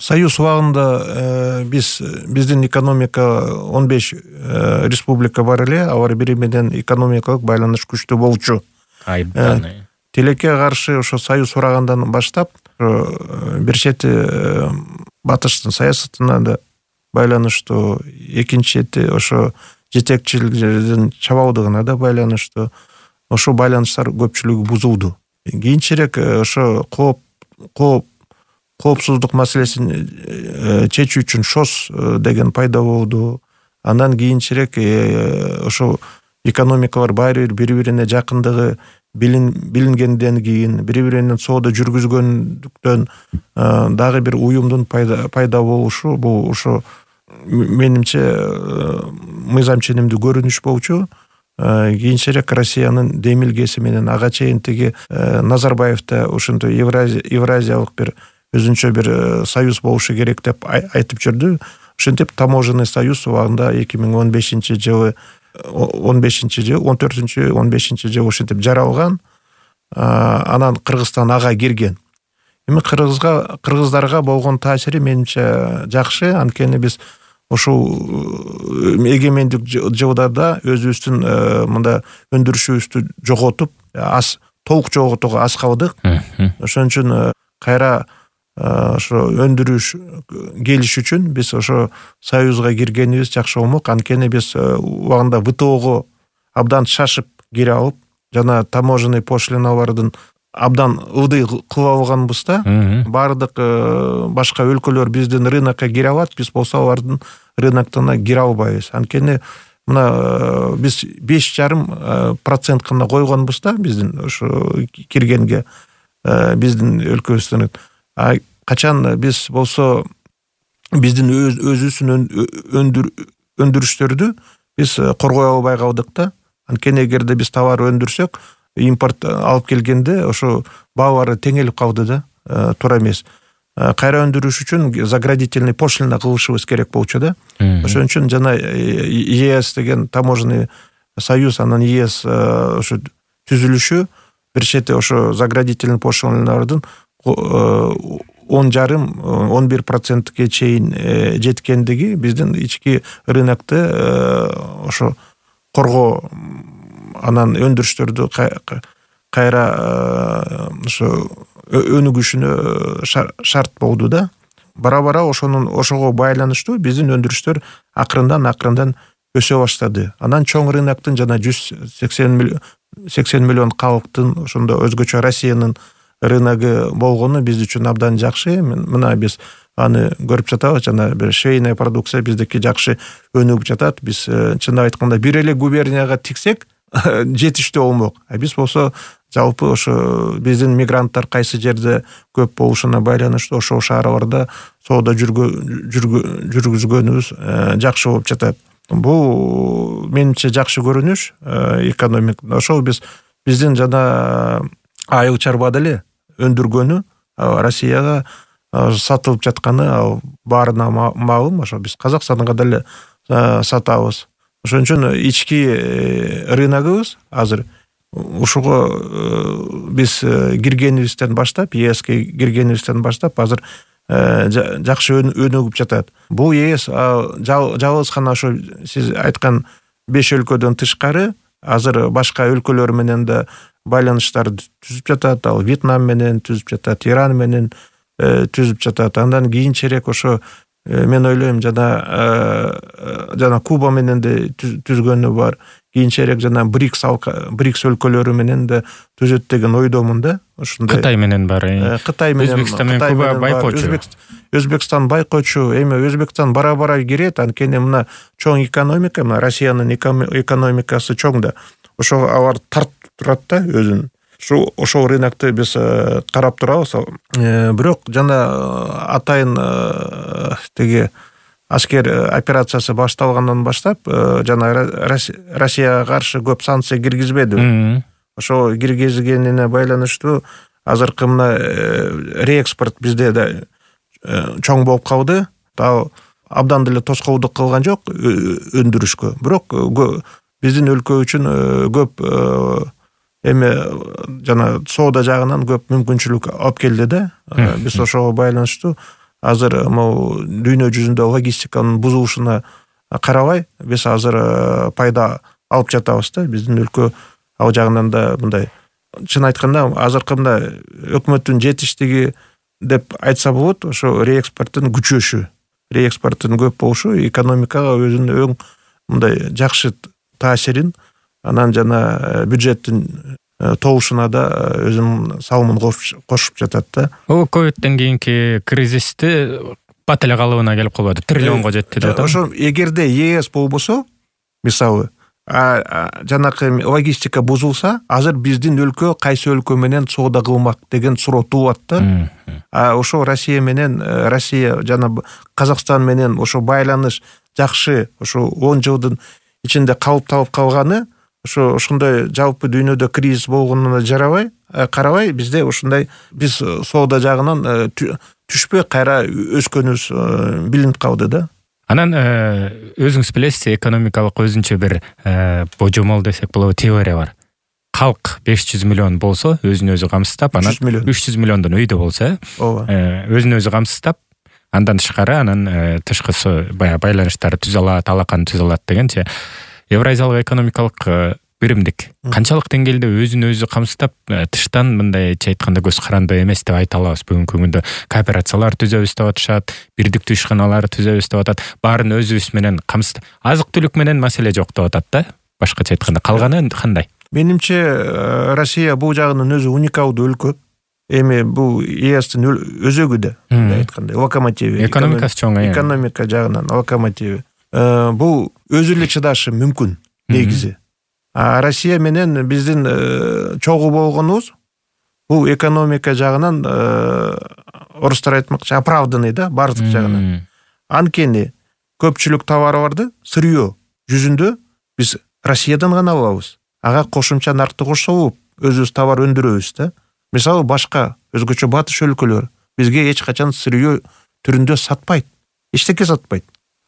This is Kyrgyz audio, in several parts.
Союз убагында биздин экономика 15 республика бар эле, алар бири менен экономикалык байланыш күчтүү болчу. Айдан. Тилекке каршы ошо Союз урагандан баштап бир чети батыштын саясатына да байланыштуу, экинчи чети ошо жетекчилердин чабалдыгына да байланыштуу. Ошо байланыштар көпчүлүгү бузулду. Кийинчерээк ошо коопсуздук маселесин чечүү үчүн ШОС деген пайда болду. Андан кийинчерээк ошо экономикалар бири-бирине жакындыгы билингенден кийин, бири-бири менен соода жүргүзгөндүктөн дагы бир уюмдун пайда болушу, бул ошо менимче мыйзам ченемдүү көрүнүш болчу. Кийинчерээк Россиянын демилгеси менен ага чейин тиги Назарбаев да ошондой Евразиялык бир өзүнчө бир союз болушу керек деп айтып жүрдү. Ошентип таможенный союз убагында 2015-жылы 14-15-жылы ошентип жаралган. Анан Кыргызстан ага кирген. Эми кыргыздарга болгон таасири менимче жакшы. Анткени биз ошол эгемендик жылдарда өзүбүздүн мында өндүрүшүбүздү жоготуп, толук жоготууга аз калдык. Ошон үчүн кайра ошо өндүрүш келиш үчүн биз ошо союзга киргенибиз жакшы болмок. Анткени биз убагында ВТОго абдан шашып кире алып, жана таможенный пошлиналардын абдан ылдый кылып алганбызда, баардык башка өлкөлөр биздин рынокко кире алат, биз болсо алардын рыноктона кире албайбыз. Анткени мына биз 5,5% гана койгонбузда биздин ошо киргенге биздин өлкөбүздөн. Качан биз болсо биздин өзүбүздүн өндүрүштөрдү биз коргой албай калдык да. Анткени эгерде биз товар өндүрсөк, импорт алып келгенде ошо баалары теңелип калды да, туура эмес. Кайра өндүрүш үчүн заградительный пошлина кылышыбыз керек болчу да. Ошон үчүн жана ЕС деген таможенный союз, анан ЕС ошо түзүлүшү бир чети ошо заградительный пошлиналардын 10,5-11%ге чейин жеткендиги биздин ички рынокты ошо коргоо, анан өндүрүштөрдү кайра ошо өнүгүшүнө шарт болду да. Бара-бара ошого байланыштуу биздин өндүрүштөр акырындан өсө баштады. Анан чоң рыноктун жана 180 миллион калктын ошондо өзгөчө Россиянын рыногу болгону биз үчүн абдан жакшы. Мына биз аны көрүп жатабыз, жана бир швейная продукция биздики жакшы өнүгүп жатат. Биз чындап айтканда бир эле губернияга тиксек жетиштүү болмок. Биз болсо жалпы ошо биздин мигранттар кайсы жерде көп болушуна байланыштуу ошол шаарларда соода жүргүзгөнүбүз жакшы болуп жатат. Бул менимче жакшы көрүнүш экономик. Ошол биздин жана айыл чарба деле өндүргөнү Россияга сатылып жатканы баарына маалым. Ошо биз Казакстанга деле сатабыз. Ошон үчүн ички рыногубуз азыр ушуга биз киргенибизден баштап, ЕСке киргенибизден баштап азыр жакшы өнүгүп жатат. Бул ЕС жалгыз гана ошо сиз айткан 5 өлкөдөн тышкары азыр башка өлкөлөр менен да байланыштар түзүп жатат. Ал Вьетнам менен түзүп жатат, Иран менен түзүп жатат. Андан кийинчерээк ошо мен ойлойм жана Куба менен да түзгөнү бар. Кийинчерээк жана БРИКС өлкөлөрү менен да түзөт деген ойдомун да. Ошондой Кытай менен бар. Кытай менен, Өзбекстан менен Куба байкоочу. Өзбекстан байкоочу. Эми Өзбекстан бара-бара кирет. Анткени мына чоң экономика, мына Россиянын экономикасы чоң да. Ошо алар тартып турат да өзүн. Ошол рынокты биз карап турабыз. Бирок жана атайын тиги аскер операциясы башталгандан баштап жана Россияга каршы көп санкция киргизбеди. Ошо киргизгенине байланыштуу азыркы мына реэкспорт бизде да чоң болуп калды. Ал абдан деле тоскоолдук кылган жок өндүрүшкө. Бирок биздин өлкө үчүн көп эми жана соода жагынан көп мүмкүнчүлүк алып келди да. Биз ошого байланыштуу азыр могу дүйнө жүзүндө логистиканын бузулушуна карабай биз азыр пайда алып жатабыз да. Биздин өлкө ал жагынан да мындай чын айтканда азыркы мындай өкмөттүн жетиштиги деп айтса болот, ошо реэкспорттун күчөшү, реэкспорттун көп болушу экономикага өзүнүн өң мындай жакшы таасирин, анан жана бюджеттин толушуна да өзүнүн салымын кошуп жатат да. Ковидтен кийинки кризисти бат эле калыбына келип калбады, триллионго жетти деп атам. Ошо эгерде ЕС болбосо, мисалы, жанакы логистика бузулса, азыр биздин өлкө кайсы өлкө менен соода кылмак деген суроо туулат да. Ошо Россия жана Казакстан менен ошо байланыш жакшы, ошо 10 жылдын ичинде калыпталып калганы, ошондой жалпы дүйнөдө кризис болгонуна карабай бизде ушундай биз соода жагынан түшпөй кайра өскөнүбүз билинип калды да. Анан өзүңүз билесиз, экономикалык өзүнчө бир божомол десек болобу теория бар. Калк 500 миллион болсо, өзүн өзү камсыздап, анан 300 миллиондон өйдө болсо, өзүн өзү камсыздап, андан тышкары анан тышкысы баягы байланыштар түзө алат, алаканы түзө алат дегенче Евразиялык экономикалык биримдик канчалык деңгээлде өзүн өзү камсыздап, тыштан мындайча айтканда көз карандуу эмес деп айта алабыз. Бүгүнкү күндө кооперациялар түзөбүз деп атышат, бирдиктүү ишканалар түзөбүз деп атат. Баарын өзүбүз менен камсыздап, азык-түлүк менен маселе жок деп атат да. Башкача айтканда, калганы кандай? Менимче Россия бул жагынан өзү уникалдуу өлкө. Эми бул ЕСтин өзөгү да, айткандай, локомотиви. Экономикасы чоң, экономика жагынан локомотиви. Бул өзү эле чыдашы мүмкүн негизи. Россия менен биздин чогуу болгонубуз бул экономика жагынан орустар айтмакчы оправданный да, бардык жагынан. Анткени көпчүлүк товарларды сырьё жүзүндө биз Россиядан гана алабыз. Ага кошумча наркты кошсо болуп, өзүбүз товар өндүрөбүз да. Мисалы башка өзгөчө батыш өлкөлөр бизге эч качан сырьё түрүндө сатпайт, эчтеке сатпайт.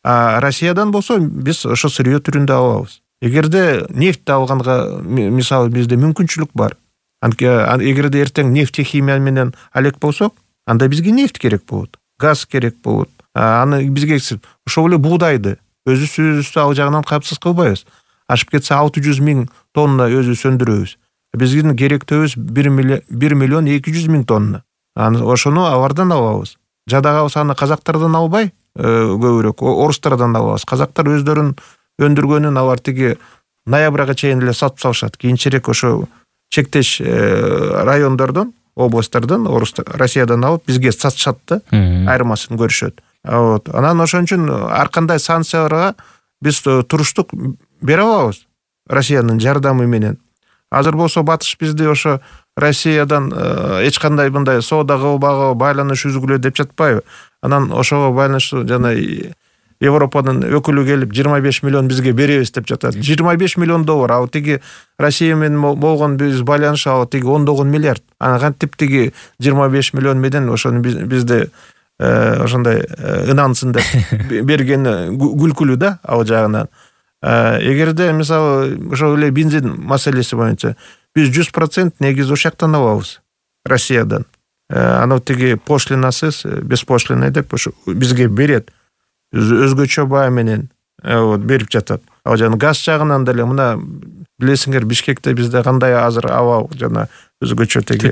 Россиядан болсо биз ошо сырьё түрүндө алабыз. Эгерде нефть алганга мисалы бизде мүмкүнчүлүк бар. Эгерде эртең нефтехимия менен алек болсок, анда бизге нефть керек болот, газ керек болот. Аны бизге ошол эле буудайды өзүбүз ал жагынан капсыз кылбайбыз. Ашып кетсе 600 000 тонна өзүбүз өндүрөбүз. Биздин керектөөбүз 1 миллион 200 000 тонна. Ошону алардан алабыз. Жадагабыз аны казактардан албай, көбүрөөк орустардан алабыз. Казактар өздөрүн өндүргөнүн алар тиги ноябрга чейин эле сатып салышат. Кийинчерээк ошо чектеш райондордон, областтардан Россиядан алып бизге сатышат да, айырмасын көрүшөт. Анан ошон үчүн ар кандай санкцияларга биз туруштук бере алабыз Россиянын жардамы менен. Азыр болсо батыш бизди ошо Россиядан эч кандай мындай соода кылбагы, байланыш үзгүлө деп жатпайбы? Анан ошого байланыштуу жана Европанын өкүлү келип 25 миллион бизге беребиз деп жатат. 25 миллион доллар, ал тиги Россия менен болгон биз байланыш ал тиги 19 миллиард. Аны кантип тиги 25 миллион менен ошону бизде ошондой ынансын деп бергени күлкүлүү да ал жагынан. Эгерде мисалы ошол эле бензин маселеси боюнча биз 100% негизи ошол жактан алабыз, Россиядан. Аны тиги пошлинасыз, беспошлиный деп ошо бизге берет. Өзгөчө баа менен берип жатат. Ал жана газ жагынан деле мына билесиңер, Бишкекте бизде кандай азыр аба жана өзгөчө тиги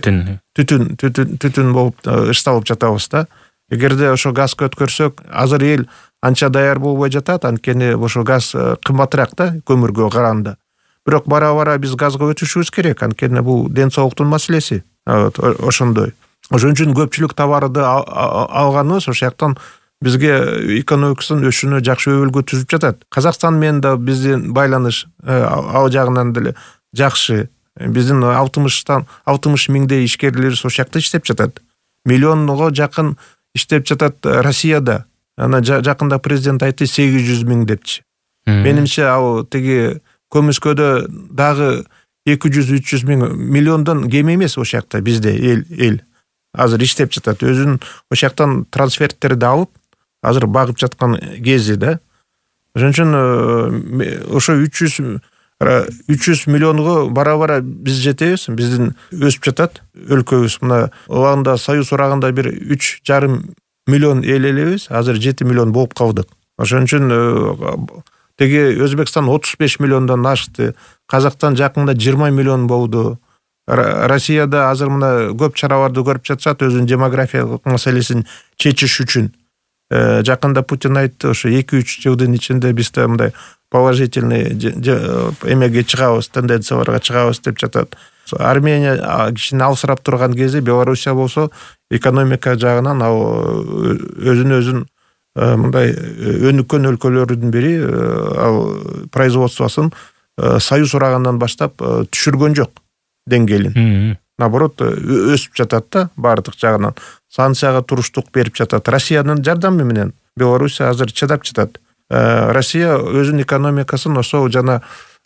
түтүн болуп ышталып жатабыз да. Эгерде ошо газга өткөрсөк, азыр эл анча даяр болбой жатат, анткени ошо газ кымбатыраак да көмүргө караганда. Бирок бара-бара биз газга өтүшүбүз керек, анткени бул ден соолуктун маселеси. Ошондой. Ошон үчүн көпчүлүк товарды алганыбыз ошол жактан бизге экономикасын өсүүнү жакшы өбөлгө түзүп жатат. Казакстан менен да биздин байланыш ал жагынан деле жакшы. Биздин 60 миңдей ишкерлерибиз ошол жакта иштеп жатат. Миллионго жакын иштеп жатат Россияда. Ана жакында президент айтты 800 000 депчи. Менимче ал тиги көмүскөдө дагы 200-300 000 миллиондон кем эмес ошол жакта бизде эл азыр иштеп жатат. Өзүнүн ошол жактан трансферттерди алып азыр багып жаткан кези да. Ошон үчүн ошо 300 миллионго бара-бара биз жетебиз, биздин өсүп жатат өлкөбүз. Мына убагында Союз урагында бир 3,5 миллион эл элебиз, азыр 7 миллион болуп калдык. Ошон үчүн теги Өзбекстан 35 миллиондон ашты, Казактан жакында 20 миллион болду. Россияда азыр мына көп чараларды көрүп жатышат өзүнүн демографиялык маселесин чечиш үчүн. Жакында Путин айтты, ошо 2-3 жылдын ичинде биз да мындай положительный эмеге чыгабыз, тенденцияларга чыгабыз деп жатат. Армения кичине алсырап турган кезде, Белоруссия болсо экономика жагынан ал өзүн мындай өнүккөн өлкөлөрдүн бири, ал производствосын союз урагандан баштап түшүргөн жок деңгээлин. Наоборот, өсүп жатат да баардык жагынан. Санкцияга туруштук берип жатат. Россиянын жардамы менен Белоруссия азыр чыдап жатат. Россия өзүнүн экономикасын ошо жана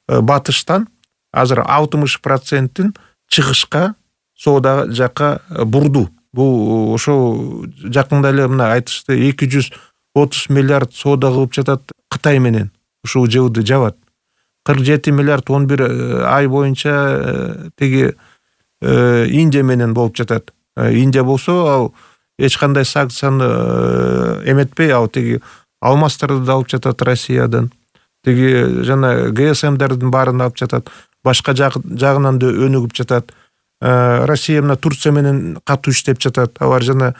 батыштан азыр 60%-ин чыгышка, соода жакка бурду. Бул ошо жакында эле мына айтышты, 230 миллиард соода кылып жатат Кытай менен. Ушул жылды жабат. 47 миллиард 11 ай боюнча теги Индия менен болуп жатат. Индия болсо ал эч кандай санкцияны эметпей, ал теги алмаздарды да алып жатат Россиядан. Теги жана ГСМдердин баарын алып жатат. Башка жагынан да өнүгүп жатат. Россия мына Турция менен катуу иштеп жатат. Алар жана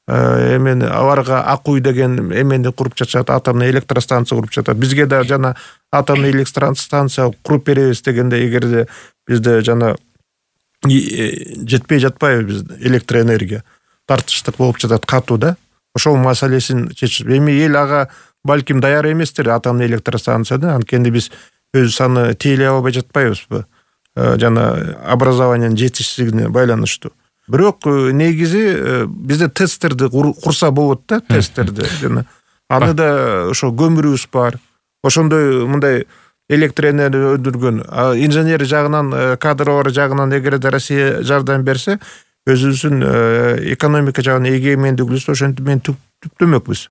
аларга Акуй деген эмени куруп жатышат, атомный электростанция куруп жатат. Бизге да жана атомный электростанция куруп беребиз дегенде, эгерде бизде жана жетпей жатпайбы биз электроэнергия, тартыштык болуп жатат катуу да. Ошол маселесин чечип, эми эл ага балким даяр эместир, атомный электростанцияда. Анткени биз өз аны тейлей албай жатпайбызбы, жана образованиянын жетишсиздигине байланыштуу. Бирок негизи бизде тесттерди курса болот да, тесттерди. Жана аны да ошо көмүрүбүз бар. Ошондой мындай электроэнергия өндүргөн инженер жагынан, кадрлар жагынан эгерде Россия жардам берсе, өзүбүздүн экономика жагынан эгемендигибизди ошентип мен түптөмөкпүз.